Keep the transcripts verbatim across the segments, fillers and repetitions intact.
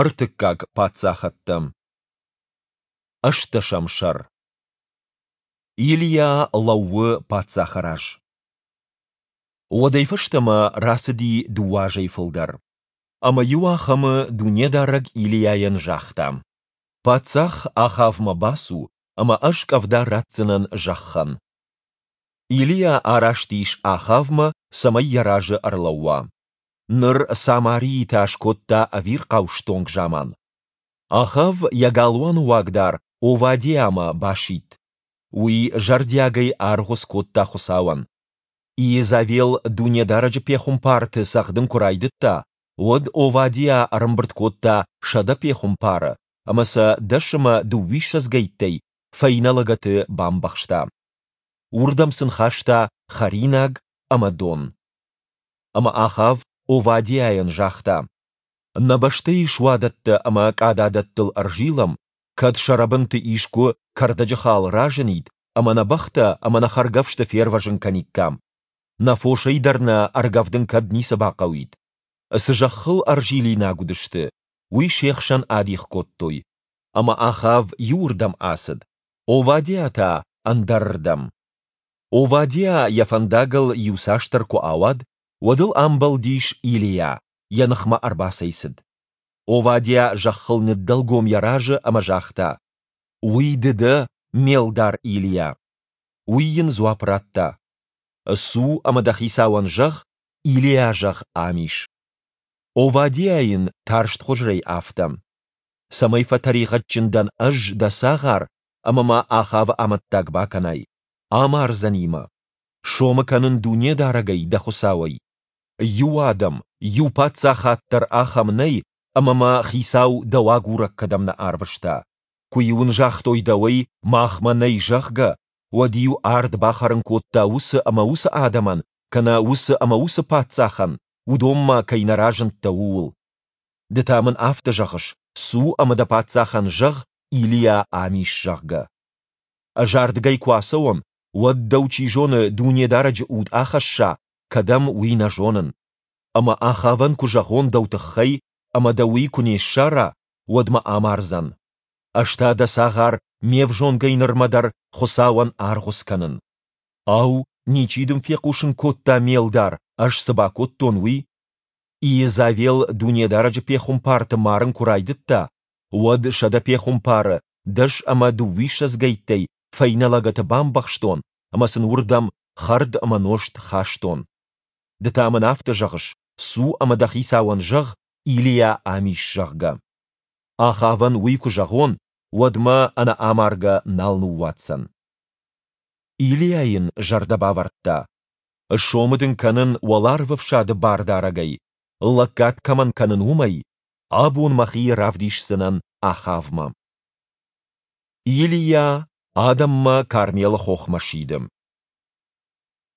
Ӕртыккаг паддзахӕдтӕ. Ӕстдӕсӕм сӕр. Илийа лӕууы паддзахы раз. Уӕдӕй фӕстӕмӕ рацыди дыууӕ азӕй фылдӕр. Ӕмӕ иуахӕмы Дунедарӕг Илийайӕн загъта: Паддзах Ахавмӕ бацу, ӕмӕ Ӕз къӕвда ратдзынӕн зӕххӕн. Илийа араст ис Ахавмӕ, цӕмӕй йӕ разы ӕрлӕууа. Ныр Самарийы та скодта ӕвирхъау стонг заман. Ахав йӕ галуаны уагдар Овадиамӕ басидт. Уый зӕрдиагӕй аргъуыц кодта Хуыцауӕн. Иезавел Дунедарӕджы пехуымпарты цӕгъдын куы райдыдта, уӕд Овадиа ӕрӕмбырд кодта сӕдӕ пехуымпары ӕмӕ сӕ дӕс ӕмӕ дыууиссӕдзгӕйттӕй фӕйнӕ лӕгӕты бамбӕхста. Уырдӕм сын хаста хӕринаг ӕмӕ дон. Ӕмӕ Ахав Овадиайӕн загъта: Нӕ бӕстӕйы суадӕттӕ ӕмӕ къададӕттыл ӕрзилӕм, кӕд сӕ рӕбынты искуы кӕрдӕджы хал разынид ӕмӕ нӕ бӕхтӕ ӕмӕ нӕ хӕргӕфсты фервӕзын кӕниккам. Нӕ фосӕй дӕр нӕ ӕргӕвдын кӕд ницы бахъӕуид. Цы зӕххыл ӕрзилинаг уыдысты, уый се хсӕн адих кодтой. Ӕмӕ Ахав иуырдӕм ацыд, Овадиа та ӕндӕрырдӕм. Овадиа йӕ фӕндагыл иуцасдӕр куы ауад, уӕд ыл амбӕлдис Илийа, йӕ ныхмӕ ӕрбацӕйцыд. Овадиа зӕххыл ныддӕлгом йӕ разы ӕмӕ загъта: Уый ды дӕ, ме лдар Илийа? Уый йын дзуапп радта: Цу ӕмӕ дӕ хицауӕн зӕгъ, Илийа, зӕгъ, ам ис. Овадиа йын тарстхуызӕй афтӕ: Цӕмӕй фӕтӕригъӕдджын дӕн ӕз, дӕ цагъар, ӕмӕ мӕ Ахавы амӕттаг бакӕнай? Амардзӕни мӕ. Сомы кӕнын Дунедарӕгӕй, дӕ Хуыцауӕй. Иу адӕм, иу паддзахад дӕр ахӕм нӕй, ӕмӕ мӕ хицау дӕу агурӕг кӕдӕм нӕ арвыста. Куы-иу ын загътой дӕуӕй, махмӕ нӕй, зӕгъгӕ, уӕд-иу ард бахӕрын кодта уыцы ӕмӕ уыцы адӕмӕн кӕнӕ уыцы ӕмӕ уыцы паддзахӕн, уыдонмӕ кӕй нӕ разындтӕ, ууыл. Ды та мын афтӕ зӕгъыс, цу ӕмӕ дӕ паддзахӕн зӕгъ, Илийа ам ис, зӕгъгӕ. Ӕз ардыгӕй куы ацӕуон, уӕд дӕу, чи зоны, Дунедарӕджы уд ахӕсса, кӕдӕм, уый нӕ зонын. Ӕмӕ Ахавӕн куы зӕгъон дӕу тыххӕй, ӕмӕ дӕ уый куы не ссара, уӕд мӕ амардзӕн. Ӕз та дӕ цагъар ме взонгӕй нырмӕ дӕр Хуыцауӕн аргъуыц кӕнын. Ау, ничи дын фехъусын кодта, ме лдар, ӕз цы бакодтон, уый? Иезавел Дунедарӕджы пехуымпарты марын куы райдыдта, уӕд сӕдӕ пехуымпары дӕс ӕмӕ дыууиссӕдзгӕйттӕй фӕйнӕ лӕгӕты бамбӕхстон ӕмӕ сын уырдӕм хӕрд ӕмӕ нозт хастон. Ды та мын афтӕ зӕгъыс, цу ӕмӕ дӕ хицауӕн зӕгъ, Илийа ам ис, зӕгъгӕ. Ахавӕн уый куы зӕгъон, уӕд мӕ ӕнӕ амаргӕ нал ныууадздзӕн. Илийа йын зӕрдӕ бавӕрдта: Сомы дын кӕнын Уӕларвӕфсады Бардарӕгӕй, лӕггад кӕмӕн кӕнын, уымӕй, абон мӕхи равдисдзынӕн Ахавмӕ. Илийа адӕммӕ Кармелы хохмӕ сиды.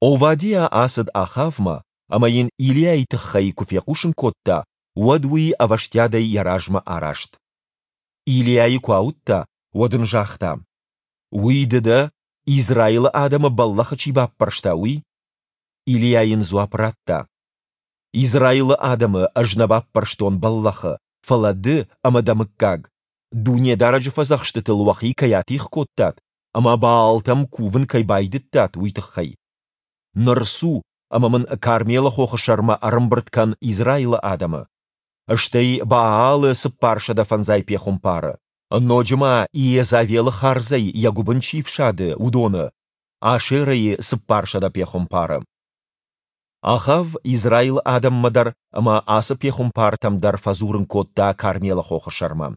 Овадиа ацыд Ахавмӕ ӕмӕ йын Илийайы тыххӕй куы фехъусын кодта, уӕд уый ӕвӕстиатӕй йӕ размӕ араст. Илийайы куы ауыдта, уӕд ын загъта: Уый ды дӕ, Израилы адӕмы бӕллӕхы чи баппӕрста, уый? Илийа йын дзуапп радта: Израилы адӕмы ӕз нӕ баппӕрстон бӕллӕхы, фӕлӕ ды ӕмӕ дӕ мыггаг, Дунедарӕджы фӕдзӕхстытыл уӕхи кӕй атигъ кодтат ӕмӕ Баалтӕм кувын кӕй байдыдтат, уый тыххӕй. Ныр цу ӕмӕ мын Кармелы хохы сӕрмӕ ӕрӕмбырд кӕн Израилы адӕмы. Стӕй Баалы цыппарсӕдӕ фӕндзай пехуымпары. Ноджы ма Иезавелы хардзӕй йӕ гуыбын чи фсады, уыдоны, Ашерӕйы цыппарсӕдӕ пехуымпары. Ахав Израилы адӕммӕ дӕр ӕмӕ ацы пехуымпартӕм дӕр фӕдзурын кодта Кармелы хохы сӕрмӕ.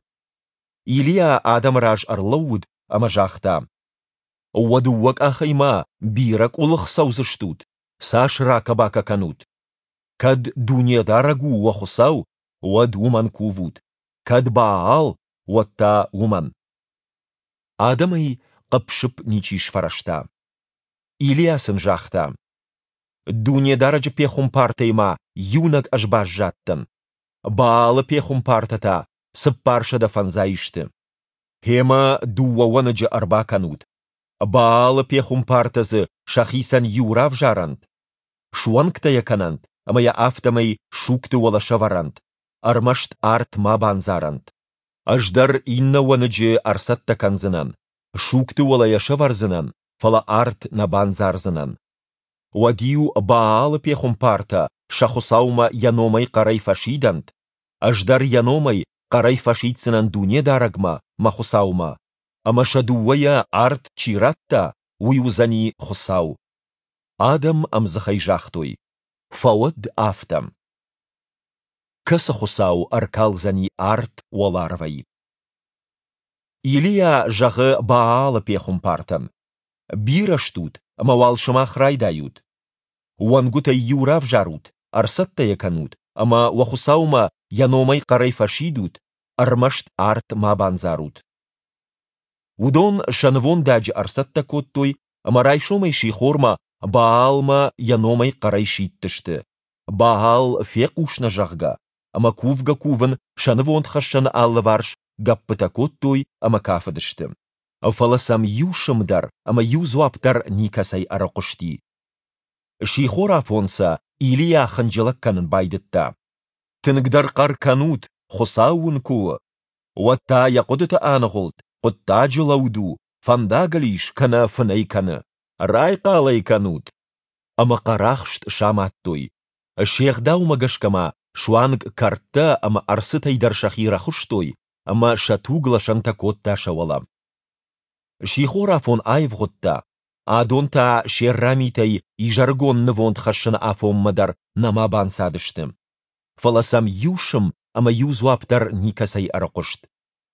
Илийа адӕмы раз ӕрлӕууыд ӕмӕ загъта: Уӕ дыууӕ къахӕй ма бирӕ къуылых цӕудзыстут, цас ракӕ-бакӕ кӕнут? Кӕд Дунедарӕг у уӕ Хуыцау, уӕд уымӕн кувут, кӕд Баал, уӕд та уымӕн. Адӕмӕй хъыпп-сыпп ничи сфӕрӕзта. Илийа сын загъта: Дунедарӕджы пехуымпартӕй ма иунӕг ӕз баззадтӕн. Баалы пехуымпартӕ та цыппарсӕдӕ фӕндзай сты. Гъемӕ дыууӕ уӕныджы ӕрбакӕнут. Баалы пехуымпартӕ дзы сӕхицӕн иу равзарӕнт, суӕнгтӕ йӕ кӕнӕнт ӕмӕ йӕ афтӕмӕй сугты уӕлӕ сӕвӕрӕнт, ӕрмӕст арт ма бандзарӕнт. Ӕз дӕр иннӕ уӕныджы ӕрцӕттӕ кӕндзынӕн, сугты уӕлӕ йӕ сӕвӕрдзынӕн, фӕлӕ арт нӕ бандзардзынӕн. Уӕд-иу Баалы пехуымпартӕ сӕ хуыцаумӕ йӕ номӕй хъӕрӕй фӕсидӕнт, ӕз дӕр йӕ номӕй хъӕрӕй фӕсиддзынӕн Дунедарӕгмӕ, мӕ Хуыцаумӕ, ӕмӕ сӕ дыууӕйӕ арт чи радта, уый уыдзӕни Хуыцау. Адӕм ӕмдзыхӕй загътой: Фӕуӕд афтӕ! Кӕцы хуыцау ӕркалдзӕни арт уӕларвӕй? Илийа зӕгъы Баалы пехуымпартӕн: Бирӕ стут, ӕмӕ уал сымах райдайут. Уӕнгуытӕй иу равзарут, ӕрцӕттӕ йӕ кӕнут ӕмӕ уӕ Хуыцаумӕ йӕ номӕй хъӕрӕй фӕсидут, ӕрмӕст арт ма бандзарут. Уыдон сӕ нывондаджы ӕрцӕттӕ кодтой ӕмӕ райсомӕй сихормӕ Баалмӕ йӕ номӕй хъӕрӕй сидтысты, Баал, фехъус нӕ, зӕгъгӕ, ӕмӕ кувгӕ-кувын сӕ нывондхӕссӕны алыварс гӕппытӕ кодтой ӕмӕ кафыдысты. Фӕлӕ сӕм иу сым дӕр ӕмӕ иу дзуапп дӕр никӕцӕй ӕрыхъуысти. Сихорафон сӕ Илийа хынджылӕг кӕнын байдыдта. Тынгдӕр хъӕр кӕнут, Хуыцау уын куы у! Уӕд та йӕ хъуыдыты аныгъуылд, хъуыддаджы лӕуд у, фӕндагыл ис кӕнӕ фынӕй кӕны. Райхъал ӕй кӕнут! Ӕмӕ хъӕрахст самадтой. Се гъдаумӕ гӕсгӕ ма суанг кӕрдтӕ ӕмӕ ӕрцытӕй дӕр сӕхи рӕхуыстой, ӕмӕ сӕ туг лӕсӕнтӕ кодта сӕ уӕлӕ. Сихорафон аивгъуыдта, адон та се рра митӕй изӕрыгон нывонд хӕссыны афонмӕ дӕр нӕма банцадысты. Фӕлӕ сӕм иу сым ӕмӕ иу дзуапп дӕр никӕцӕй ӕрыхъуыст,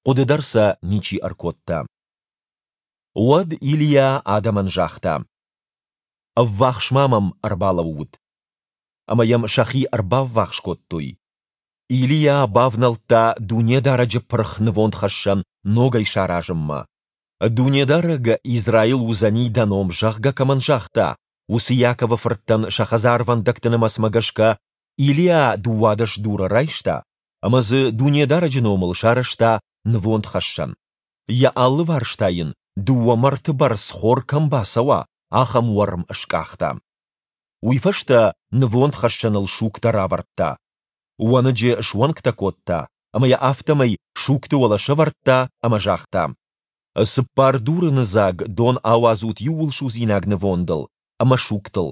хъуыды дӕр сӕ ничи ӕркодта. Уӕд Илийа адӕмӕн загъта: Ӕввахс-ма мӕм ӕрбалӕуут. Ӕмӕ йӕм сӕхи ӕрбаввахс кодтой. Илийа бавнӕлдта Дунедарӕджы пырх нывондхӕссӕн ногӕй саразынмӕ. Дунедарӕг, Израил уыдзӕни дӕ ном, зӕгъгӕ, кӕмӕн загъта, уыцы Иаковы фырттӕн сӕ хӕдзарвӕндӕгты нымӕцмӕ гӕсгӕ Илийа дыууадӕс дуры райста ӕмӕ дзы Дунедарӕджы номыл сарӕзта нывондхӕссӕн. Йӕ алыварс та йын, дыууӕ мӕрты бӕрц хор кӕм бацӕуа, ахӕм уӕрм скъахта. Уый фӕстӕ нывондхӕссӕныл сугтӕ равӕрдта. Уӕныджы суӕнгтӕ кодта ӕмӕ йӕ афтӕмӕй сугты уӕлӕ сӕвӕрдта ӕмӕ загъта: Цыппар дурыны дзаг дон ауадзут иууылсудзинаг нывондыл ӕмӕ сугтыл.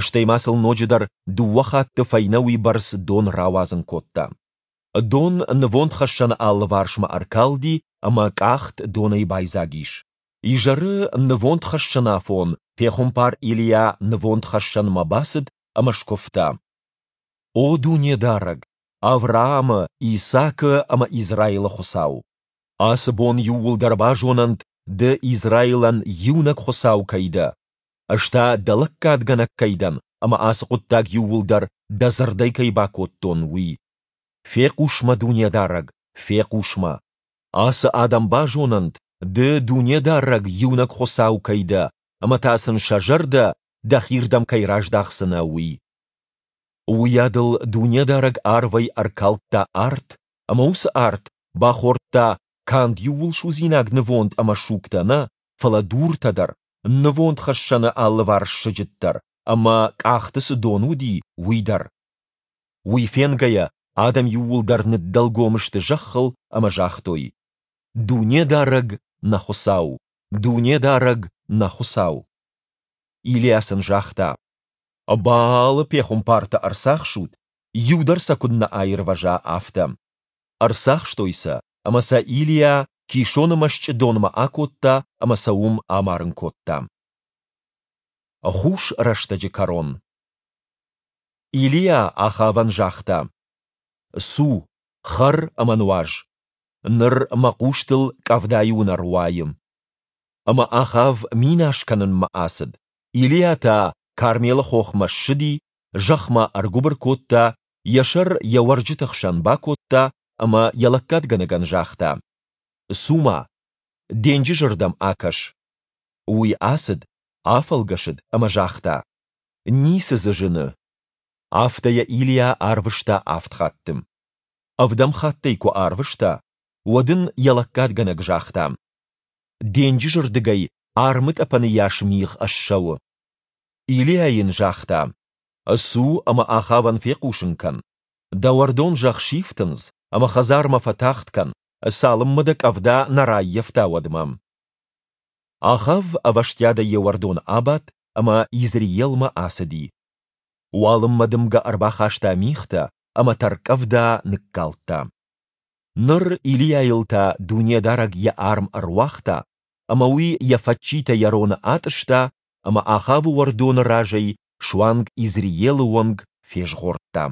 Стӕй ма сыл ноджыдӕр дыууӕ хатты фӕйнӕ уыйбӕрц дон рауадзын кодта. Дон нывондхӕссӕны алыварсмӕ ӕркалди ӕмӕ къахт донӕй байдзаг ис. Изӕры нывондхӕссӕнафон пехуымпар Илийа нывондхӕссӕнмӕ бацыд ӕмӕ скуывта: О Дунедарӕг, Авраамы, Исаакы ӕмӕ Израилы Хуыцау! Ацы бон иууылдӕр базонӕнт, Ды Израилӕн иунӕг Хуыцау кӕй дӕ, ӕз та Дӕ лӕггадгӕнӕг кӕй дӕн ӕмӕ ацы хъуыддаг иууылдӕр Дӕ дзырдӕй кӕй бакодтон, уый. Фехъус мӕ, Дунедарӕг, фехъус мӕ! Ацы адӕм базонӕнт, Ды Дунедарӕг иунӕг Хуыцау кӕй дӕ ӕмӕ та сын сӕ зӕрдӕ Дӕхирдӕм кӕй раздахдзынӕ, уый. Уыйадыл Дунедарӕг арвӕй ӕркалдта арт, ӕмӕ уыцы арт бахордта канд иууылсудзинаг нывонд ӕмӕ сугтӕ нӕ, фӕлӕ дуртӕ дӕр, нывондхӕссӕны алыварс сыджыт дӕр ӕмӕ, къӕхты цы дон уыди, уый дӕр. Уый фенгӕйӕ, адӕм иууылдӕр ныддӕлгом сты зӕххыл ӕмӕ загътой: Дунедарӕг, нӕ Хуыцау! Дунедарӕг, нӕ Хуыцау! Илийа сын загъта: Баалы пехуымпарты ӕрцахсут, иу дӕр сӕ куыннӕ аирвӕза, афтӕ. Ӕрцахстой сӕ, ӕмӕ сӕ Илийа Кисоны мӕсчъы донмӕ акодта ӕмӕ сӕ уым амарын кодта. Хус рӕстӕджы кӕрон Илийа Ахавӕн загъта: Цу, хӕр ӕмӕ нуаз. Ныр мӕ хъустыл къӕвдайы уынӕр уайы. Ӕмӕ Ахав минас кӕнынмӕ ацыд, Илийа та Кармелы хохмӕ ссыди, зӕхмӕ ӕргуыбыр кодта, йӕ сӕр йӕ уӕрджыты хсӕн бакодта ӕмӕ йӕ лӕггадгӕнӕгӕн загъта: Цу-ма, денджызы рдӕм акӕс. Уый ацыд, афӕлгӕсыд ӕмӕ загъта: Ницы дзы зыны. Афтӕ йӕ Илийа арвыста авд хатты. Ӕвдӕм хатт ӕй куы арвыста, уӕд ын йӕ лӕггадгӕнӕг загъта: Денджызы рдыгӕй армытъӕпӕны йас мигъ ссӕуы. Илийа йын загъта: Цу ӕмӕ Ахавӕн фехъусын кӕн. Дӕ уӕрдон, зӕгъ, сифтындз ӕмӕ хӕдзармӕ фӕтагъд кӕн, цалынмӕ дӕ къӕвда нӕ раййӕфта, уӕдмӕ. Ахав ӕвӕстиатӕй йӕ уӕрдоны абадт ӕмӕ Изреелмӕ ацыди. Уалынмӕ дымгӕ ӕрбахаста мигътӕ ӕмӕ тӕрккъӕвда ныккалдта. Ныр Илийайыл та Дунедарӕг Йӕ арм ӕруагъта, ӕмӕ уый йӕ фӕччитӕ йӕ роны атъыста ӕмӕ Ахавы уӕрдоны разӕй суанг Изреелы онг фезгъордта.